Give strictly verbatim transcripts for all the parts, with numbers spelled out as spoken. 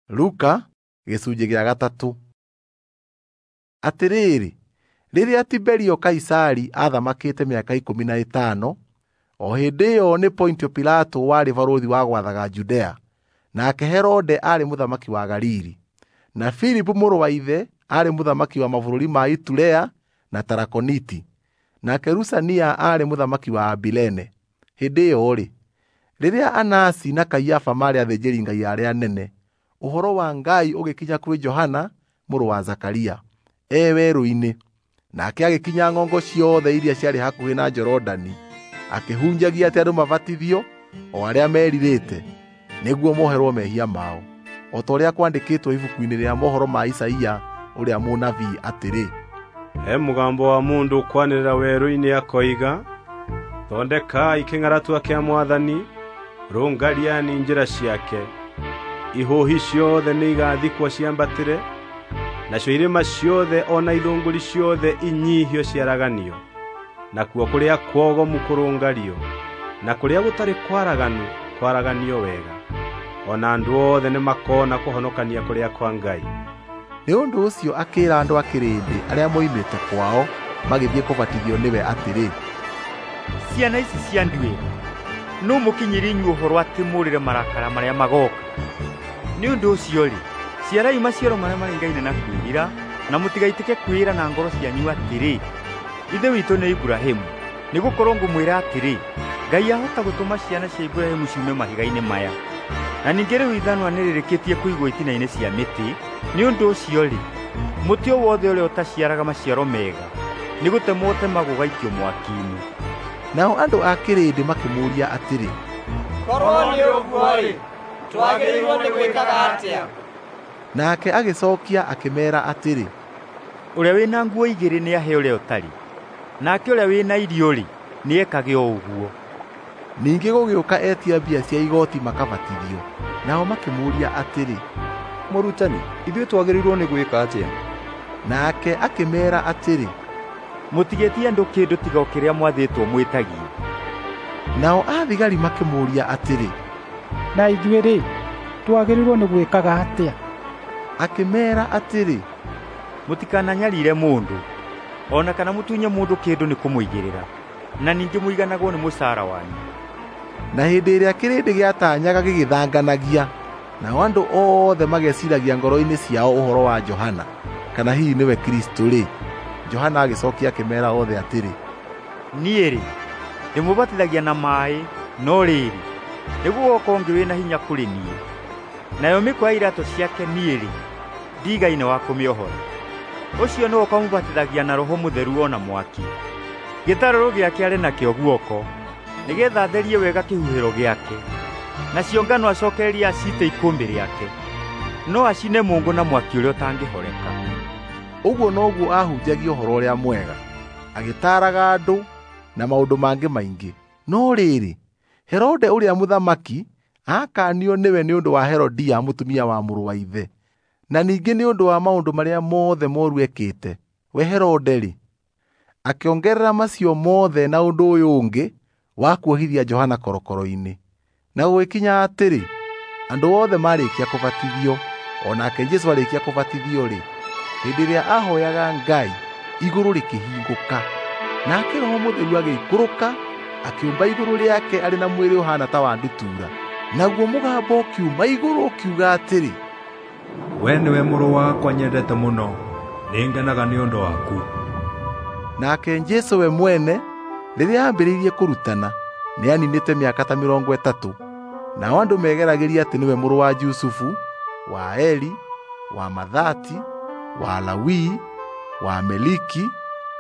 Luka gĩcunjĩ gĩa gatatũ. Atĩrĩrĩ, rĩrĩa Tiberio Kaisari aathamakĩte mĩaka ikũmi na ĩtano, o hĩndĩ ĩyo nĩ Pontio Pilato warĩ barũthi wa gwathaga Judea, nake Herode aarĩ mũthamaki wa Galili, na Filipu mũrũ wa ithe aarĩ mũthamaki wa mabũrũri ma Iturea na Tarakoniti, nake Lusania aarĩ mũthamaki wa Abilene. Hĩndĩ ĩyo-rĩ, rĩrĩa Anasi na Kaiafa maarĩ athĩnjĩri-Ngai arĩa anene, ũhoro wa Ngai ũgĩkinya kwĩ Johana mũrũ wa Zakaria e werũ-inĩ. Nake agĩkinya ng'ongo ciothe iria ciarĩ hakuhĩ na Jorodani, akĩhunjagia atĩ andũ mabatithio o arĩa merirĩte, nĩguo moherwo mehia mao, o ta ũrĩa kwandĩkĩtwo ibuku-inĩ rĩa mohoro ma Isaia ũrĩa mũnabii atĩrĩ, He mũgambo wa mũndũ ũkwanĩrĩra werũ-inĩ akoiga, thondekai kĩng'aratua kĩa Mwathani, rũngariani njĩra ciake. Ihũhi ciothe nĩigathikwo ciambatĩre, nacio irĩma ciothe o na ithũngũri ciothe inyihio ciaraganio, nakuo kũrĩa kwogomu kũrũngario, na kũrĩa gũtarĩ kwaraganu kwaraganio wega. O na andũ othe nĩmakona kũhonokania kũrĩa kwa Ngai. Nĩ ũndũ ũcio akĩĩra andũ a kĩrĩndĩ arĩa moimĩte kwao magĩthiĩ kũbatithio nĩwe atĩrĩ, Ciana ici cia nduĩra, nũ mũkinyĩrie inyuĩ ũhoro atĩ mũũrĩre marakara marĩa magooka? Nĩ ũndũ ũcio-rĩ, ciarai maciaro marĩa maringaine na kwĩrira, na mũtigaitĩke kwĩĩra na ngoro cianyu atĩrĩ, Ithe witũ nĩ Iburahĩmu. Nĩgũkorwo ngũmwĩra atĩrĩ, Ngai ahota gũtũma ciana cia Iburahĩmu ciume mahiga-inĩ maya. Na ningĩ rĩu ithanwa nĩrĩrĩkĩtie kũigwo itina-inĩ cia mĩtĩ. Nĩ ũndũ ũcio-rĩ, mũtĩ o wothe ũrĩa ũtaciaraga maciaro mega nĩgũtemwo ũtemagwo ũgaikio mwaki-inĩ. Nao andũ a kĩrĩndĩ makĩmũũria atĩrĩ, Korwo nĩ ũguo-rĩ, twagĩrĩirwo nĩ gwĩkaga atĩa? Nake agĩcookia akĩmeera atĩrĩ, Ũrĩa wĩna nguo igĩrĩ nĩahe ũrĩa ũtarĩ, nake ũrĩa wĩna irio-rĩ, nĩekage o ũguo. Ningĩ gũgĩũka etia mbia cia igooti makabatithio, nao makĩmũũria atĩrĩ, Mũrutani, ithuĩ twagĩrĩirwo nĩ gwĩka atĩa? Nake akĩmeera atĩrĩ, Mũtigetie andũ kĩndũ tiga o kĩrĩa mwathĩtwo mwĩtagie. Nao athigari makĩmũũria atĩrĩ, Na ithuĩ-rĩ, twagĩrĩirwo nĩ gwĩkaga atĩa? Akĩmeera atĩrĩ, Mũtikananyariire mũndũ, o na kana mũtunye mũndũ kĩndũ nĩ kũmũigĩrĩra, na ningĩ mũiganagwo nĩ mũcaara wanyu. Na hĩndĩ ĩrĩa kĩrĩndĩ gĩataanyaga gĩgĩthanganagia, nao andũ othe mageciiragia ngoro-inĩ ciao ũhoro wa Johana, kana hihi nĩwe Kristũ-rĩ, Johana agĩcookia akĩmeera othe atĩrĩ, Niĩ-rĩ, ndĩmũbatithagia na maaĩ, no rĩrĩ, nĩgũgooka ũngĩ wĩna hinya kũrĩ niĩ, nayo mĩkwa ya iraatũ ciake niĩ-rĩ, ndiigaine wa kũmĩohora. Ũcio nĩwe ũkamũbatithagia na Roho Mũtheru o na mwaki. Gĩtarũrũ gĩake arĩ nakĩo guoko, nĩgeetha atherie wega kĩhuhĩro gĩake, nacio ngano acookererie aciite ikũmbĩ rĩake, no acine mũũngũ na mwaki ũrĩa ũtangĩhoreka. Ũguo noguo aahunjagia ũhoro ũrĩa mwega, agĩtaaraga andũ na maũndũ mangĩ maingĩ. No rĩrĩ, Herode ũrĩa mũthamaki aakaanio nĩwe nĩ ũndũ wa Herodia mũtumia wa mũrũ wa ithe, na ningĩ nĩ ũndũ wa maũndũ marĩa mothe mooru ekĩte. We Herode-rĩ, akĩongerera macio mothe na ũndũ ũyũ ũngĩ wa kuohithia Johana korokoro-inĩ. Na gũgĩkinya atĩrĩ, andũ othe maarĩkia kũbatithio, o nake Jesũ arĩkia kũbatithio-rĩ, hĩndĩ ĩrĩa aahoyaga Ngai, igũrũ rĩkĩhingũka, nake Roho Mũtheru agĩikũrũka akĩũmba igũrũ rĩake arĩ na mwĩrĩ ũhaana ta wa ndutura. Naguo mũgambo ũkiuma igũrũ ũkiuga atĩrĩ, We nĩwe mũrũ wakwa nyendete mũno, nĩngenaga nĩ ũndũ waku. Nake Jesũ we mwene rĩrĩa aambĩrĩirie kũrutana nĩaninĩte mĩaka ta mĩrongo ĩtatũ, nao andũ megeragĩria atĩ nĩwe mũrũ wa Jusufu, wa Eli, wa Mathati, wa Lawi, wa Meliki,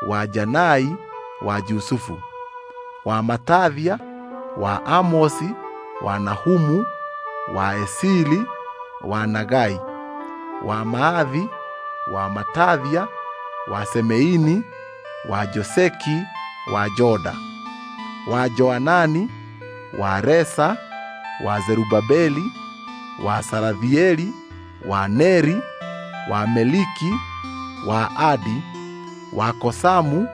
wa Janai, wa Jusufu, wa Matathia, wa Amosi, wa Nahumu, wa Esili, wa Nagai, wa Maathi, wa Matathia, wa Semeini, wa Joseki, wa Joda, wa Joanani, wa Resa, wa Zerubabeli, wa Sarathieli, wa Neri, wa Meliki, wa Adi, wa Kosamu,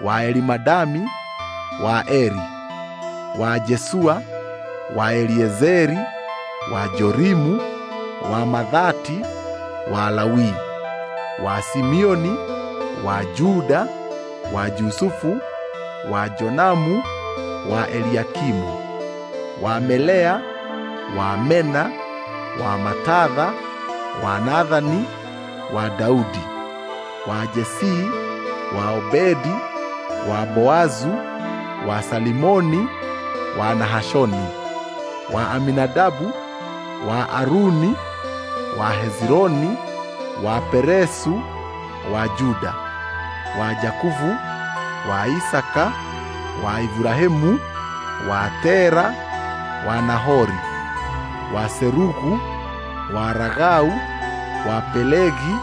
wa Elimadami, wa Eri, wa Jesua, wa Eliezeri, wa Jorimu, wa Mathati, wa Lawi, wa Simeoni, wa Juda, wa Jusufu, wa Jonamu, wa Eliakimu, wa Melea, wa Mena, wa Matatha, wa Nathani, wa Daudi, wa Jesii, wa Obedi, wa Boazu, wa Salimoni, wa Nahashoni, wa Aminadabu, wa Aruni, wa Hezironi, wa Peresu, wa Juda, wa Jakubu, wa Isaka, wa Ibrahimu, wa Tera, wa Nahori, wa Serugu, wa Ragau, wa Pelegi,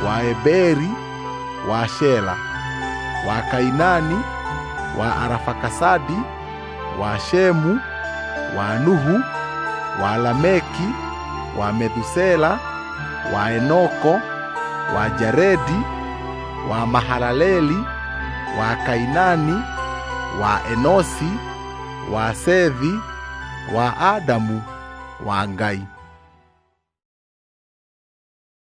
wa Eberi, wa Shela, wa Kainani, wa Arafakasadi, wa Shemu, wa Nuhu, wa Lameki, wa Methusela, wa Enoko, wa Jaredi, wa Mahalaleli, wa Kainani, wa Enosi, wa Sethi, wa Adamu, wa Ngai.